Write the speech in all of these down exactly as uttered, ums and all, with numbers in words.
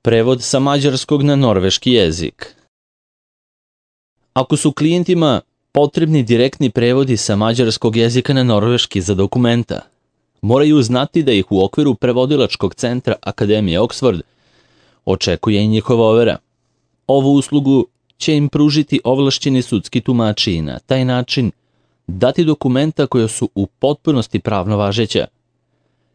Prevod sa mađarskog na norveški jezik. Ako su klijentima potrebni direktni prevodi sa mađarskog jezika na norveški za dokumenta, moraju znati da ih u okviru prevodilačkog centra Akademije Oxford očekuje i njihova overa. Ovu uslugu će im pružiti ovlašćeni sudski tumači i na taj način dati dokumenta koja su u potpunosti pravno važeća,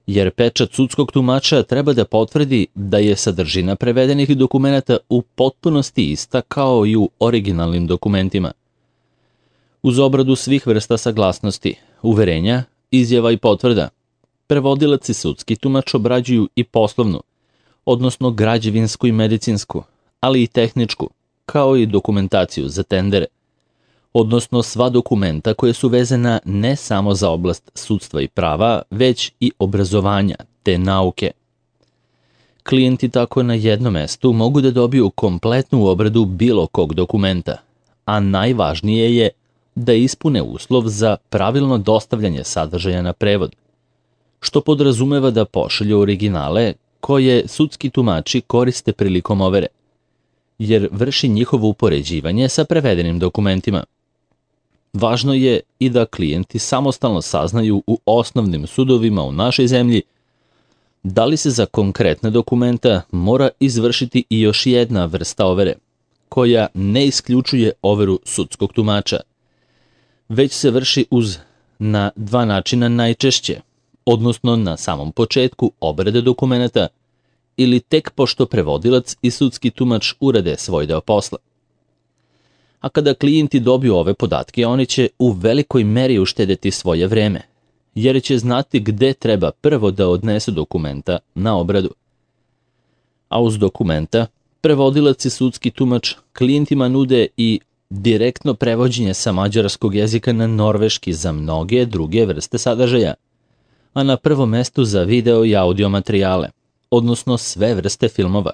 jer pečat sudskog tumača treba da potvrdi da je sadržina prevedenih dokumenata u potpunosti ista kao i u originalnim dokumentima. Uz obradu svih vrsta saglasnosti, uverenja, izjava i potvrda, prevodilac i sudski tumač obrađuju i poslovnu, odnosno građevinsku i medicinsku, ali i tehničku, kao i dokumentaciju za tendere, odnosno sva dokumenta koje su vezana ne samo za oblast sudstva i prava, već i obrazovanja te nauke. Klijenti tako na jednom mestu mogu da dobiju kompletnu obradu bilo kog dokumenta, a najvažnije je da ispune uslov za pravilno dostavljanje sadržaja na prevod, što podrazumeva da pošalju originale koje sudski tumači koriste prilikom overe, jer vrši njihovo upoređivanje sa prevedenim dokumentima. Važno je i da klijenti samostalno saznaju u osnovnim sudovima u našoj zemlji da li se za konkretne dokumenta mora izvršiti i još jedna vrsta overe, koja ne isključuje overu sudskog tumača, već se vrši uz na dva načina najčešće, odnosno na samom početku obrade dokumenta ili tek pošto prevodilac i sudski tumač urade svoj deo posla. A kada klijenti dobiju ove podatke, oni će u velikoj meri uštedeti svoje vreme, jer će znati gde treba prvo da odnesu dokumenta na obradu. A uz dokumenta, prevodilac i sudski tumač klijentima nude i direktno prevođenje sa mađarskog jezika na norveški za mnoge druge vrste sadržaja, a na prvom mestu za video i audio materijale, odnosno sve vrste filmova,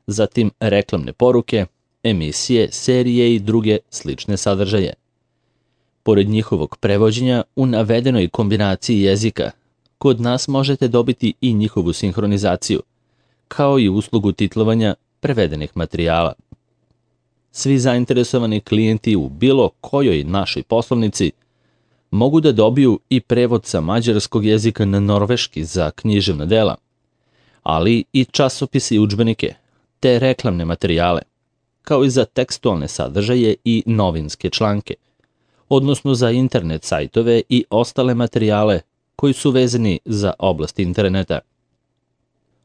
zatim reklamne poruke, emisije, serije i druge slične sadržaje. Pored njihovog prevođenja u navedenoj kombinaciji jezika, kod nas možete dobiti i njihovu sinhronizaciju, kao i uslugu titlovanja prevedenih materijala. Svi zainteresovani klijenti u bilo kojoj našoj poslovnici mogu da dobiju i prevod sa mađarskog jezika na norveški za književna dela, ali i časopise i udžbenike, te reklamne materijale, kao i za tekstualne sadržaje i novinske članke, odnosno za internet sajtove i ostale materijale koji su vezani za oblast interneta.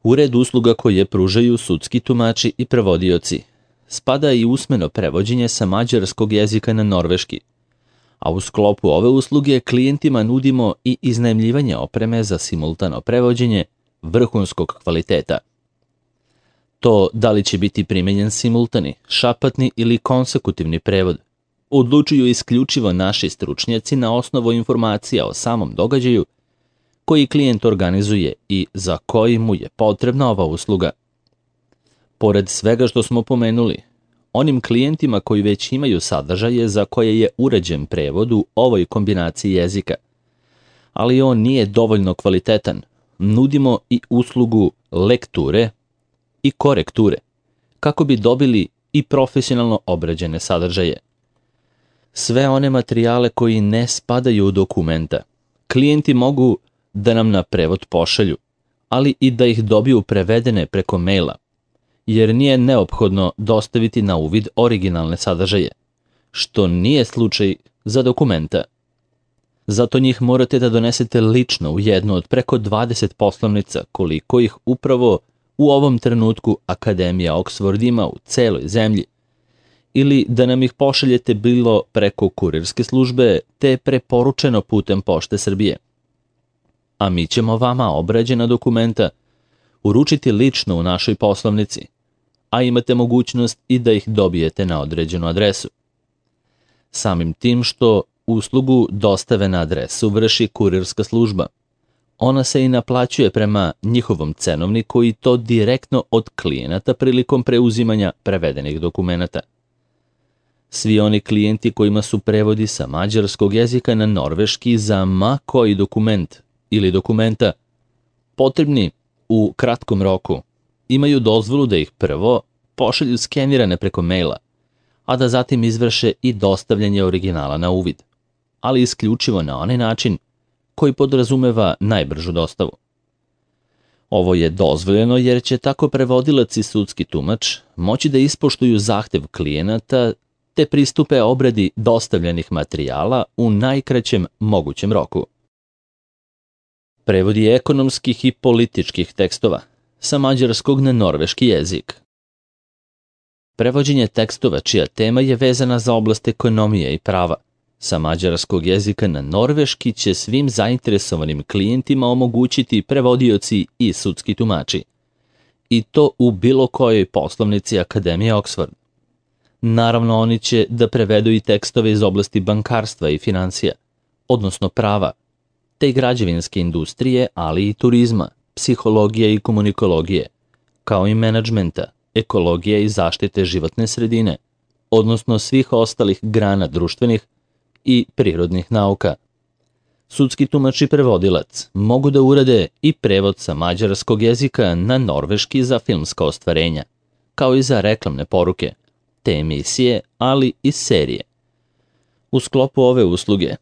U red usluga koje pružaju sudski tumači i prevodioci spada i usmeno prevođenje sa mađarskog jezika na norveški, a u sklopu ove usluge klijentima nudimo i iznajmljivanje opreme za simultano prevođenje vrhunskog kvaliteta. To da li će biti primenjen simultani, šapatni ili konsekutivni prevod odlučuju isključivo naši stručnjaci na osnovu informacija o samom događaju koji klijent organizuje i za koji mu je potrebna ova usluga. Pored svega što smo pomenuli, onim klijentima koji već imaju sadržaje za koje je uređen prevod u ovoj kombinaciji jezika, ali on nije dovoljno kvalitetan, nudimo i uslugu lekture i korekture, kako bi dobili i profesionalno obrađene sadržaje. Sve one materijale koji ne spadaju u dokumenta, klijenti mogu da nam na prevod pošalju, ali i da ih dobiju prevedene preko maila, jer nije neophodno dostaviti na uvid originalne sadržaje, što nije slučaj za dokumenta. Zato njih morate da donesete lično u jednu od preko dvadeset poslovnica koliko ih upravo u ovom trenutku Akademija Oxford ima u celoj zemlji, ili da nam ih pošaljete bilo preko kurirske službe te preporučeno putem Pošte Srbije. A mi ćemo vama obrađena dokumenta uručiti lično u našoj poslovnici, a imate mogućnost i da ih dobijete na određenu adresu. Samim tim što uslugu dostave na adresu vrši kurirska služba, ona se i naplaćuje prema njihovom cenovniku i to direktno od klijenata prilikom preuzimanja prevedenih dokumenata. Svi oni klijenti kojima su prevodi sa mađarskog jezika na norveški za ma koji dokument ili dokumenta potrebni u kratkom roku imaju dozvolu da ih prvo pošalju skenirane preko maila, a da zatim izvrše i dostavljanje originala na uvid, ali isključivo na onaj način koji podrazumeva najbržu dostavu. Ovo je dozvoljeno jer će tako prevodilac i sudski tumač moći da ispoštuju zahtev klijenata te pristupe obradi dostavljenih materijala u najkraćem mogućem roku. Prevodi ekonomskih i političkih tekstova sa mađarskog na norveški jezik. Prevođenje tekstova čija tema je vezana za oblast ekonomije i prava sa mađarskog jezika na norveški će svim zainteresovanim klijentima omogućiti prevodioci i sudski tumači, i to u bilo kojoj poslovnici Akademije Oxford. Naravno, oni će da prevedu i tekstove iz oblasti bankarstva i financija, odnosno prava, te i građevinske industrije, ali i turizma, psihologije i komunikologije, kao i menadžmenta, ekologije i zaštite životne sredine, odnosno svih ostalih grana društvenih i prirodnih nauka. Sudski tumač i prevodilac mogu da urade i prevod sa mađarskog jezika na norveški za filmska ostvarenja, kao i za reklamne poruke, te emisije, ali i serije. U sklopu ove usluge,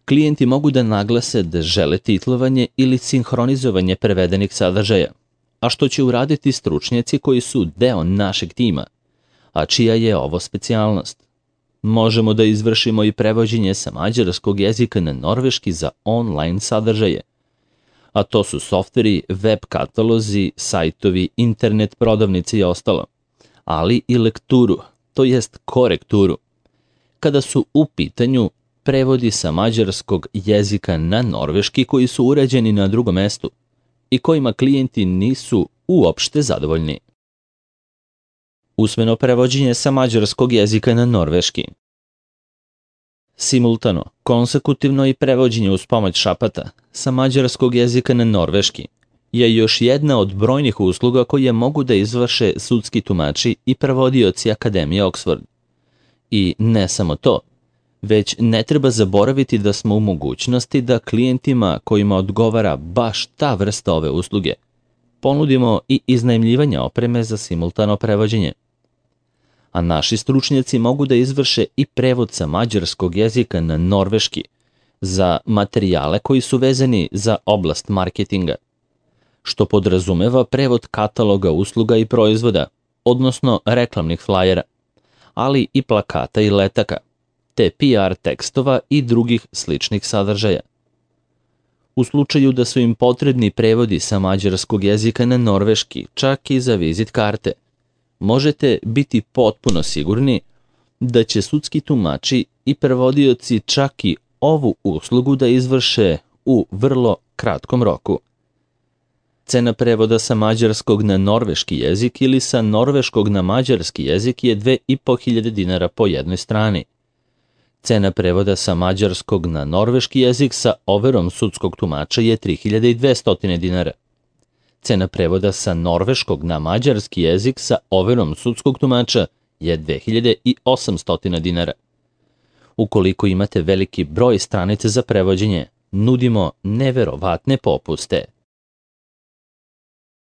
klijenti mogu da naglase da žele titlovanje ili sinhronizovanje prevedenih sadržaja, a što će uraditi stručnjaci koji su deo našeg tima, a čija je ovo specijalnost. Možemo da izvršimo i prevođenje sa mađarskog jezika na norveški za online sadržaje, a to su softveri, web katalozi, sajtovi, internet prodavnice i ostalo, ali i lekturu, to jest korekturu, kada su u pitanju prevodi sa mađarskog jezika na norveški koji su urađeni na drugom mestu i kojima klijenti nisu uopšte zadovoljni. Usmeno prevođenje sa mađarskog jezika na norveški. Simultano, konsekutivno i prevođenje uz pomoć šapata sa mađarskog jezika na norveški je još jedna od brojnih usluga koje mogu da izvrše sudski tumači i prevodioci Akademije Oxford. I ne samo to, već ne treba zaboraviti da smo u mogućnosti da klijentima kojima odgovara baš ta vrsta ove usluge ponudimo i iznajmljivanje opreme za simultano prevođenje. A naši stručnjaci mogu da izvrše i prevod sa mađarskog jezika na norveški za materijale koji su vezani za oblast marketinga, što podrazumeva prevod kataloga usluga i proizvoda, odnosno reklamnih flajera, ali i plakata i letaka, te P R tekstova i drugih sličnih sadržaja. U slučaju da su im potrebni prevodi sa mađarskog jezika na norveški, čak i za vizit karte, možete biti potpuno sigurni da će sudski tumači i prevodioci čak i ovu uslugu da izvrše u vrlo kratkom roku. Cena prevoda sa mađarskog na norveški jezik ili sa norveškog na mađarski jezik je dve i po hiljade dinara po jednoj strani. Cena prevoda sa mađarskog na norveški jezik sa overom sudskog tumača je tri hiljade dvesta dinara. Cena prevoda sa norveškog na mađarski jezik sa overom sudskog tumača je dve hiljade osamsto dinara. Ukoliko imate veliki broj stranica za prevođenje, nudimo neverovatne popuste.